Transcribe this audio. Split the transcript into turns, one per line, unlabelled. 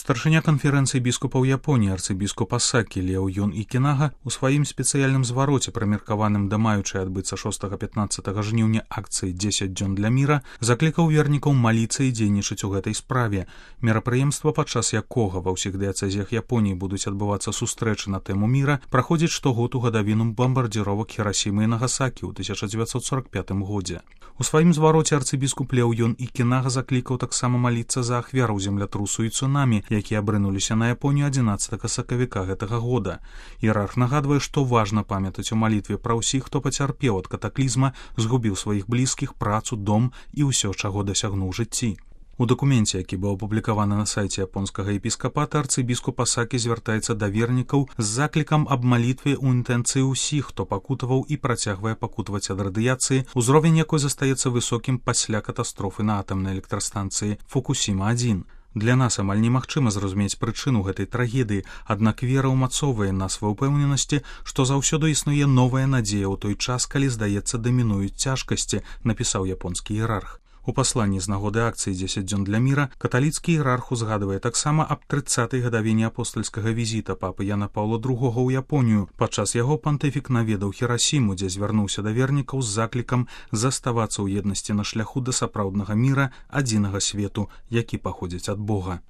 Старшыня канферэнцыі біскупаў Японіі арцыбіскуп Асакі Лео Ён Ікінага у сваім спецыяльным звароце, прымеркаваным да маючай адбыцца 6-15 жніўня акцыі 10 дзён для міра, заклікаў вернікаў маліцца і дзейнічаць у гэтай справе. Мерапрыемства, падчас якога ва ўсіх дыяцэзіях Японіі будуць адбывацца сустрэчы на тэму міра, праходзіць штогод у гадавіну бамбардзіровак Хірасімы і Нагасакі ў 1945 годзе. У сваім звароце арцыбіскуп Лео Ён Ікінага заклікаў таксама маліцца за ахвяраў землятрусу і цунамі, якія абрынуліся на Японію 11 сакавіка гэтага года. Іерарх нагадвае, што важна памятаць у малітве пра ўсіх, хто пацярпеў ад катаклізма, згубіў сваіх блізкіх, працу, дом і ўсё, чаго дасягнуў жыцці. У дакуменце, які быў апублікаваны на сайце японскага епіскапата, арцыбіскуп Асакі звяртаецца да вернікаў з заклікам аб малітве ў інтэнцыі ўсіх, хто пакутаваў і працягвае пакутаваць ад радыяцыі, узровень якой застаецца высокім пасля катастрофы на атамнай электрастанцыі Фукусіма-1. Для нас амаль немагчыма зразумець прычыну гэтай трагедыі, аднак вера ўмацоўвае нас ва ўпэўненасці, што заўсёды існуе новая надзея ў той час, калі, здаецца, дамінуюць цяжкасці, напісаў японскі іерарх. У пасланні з нагоды акцыі 10 дзён для міра каталіцкі іерарх узгадвае таксама аб 30-й гадавіне апостальскага візіта папы Яна Паўла II ў Японію. Падчас яго пантыфік наведаў Хірасіму, дзе звярнуўся да вернікаў з заклікам заставацца ў еднасці на шляху да сапраўднага міра, адзінага свету, які паходзіць ад Бога.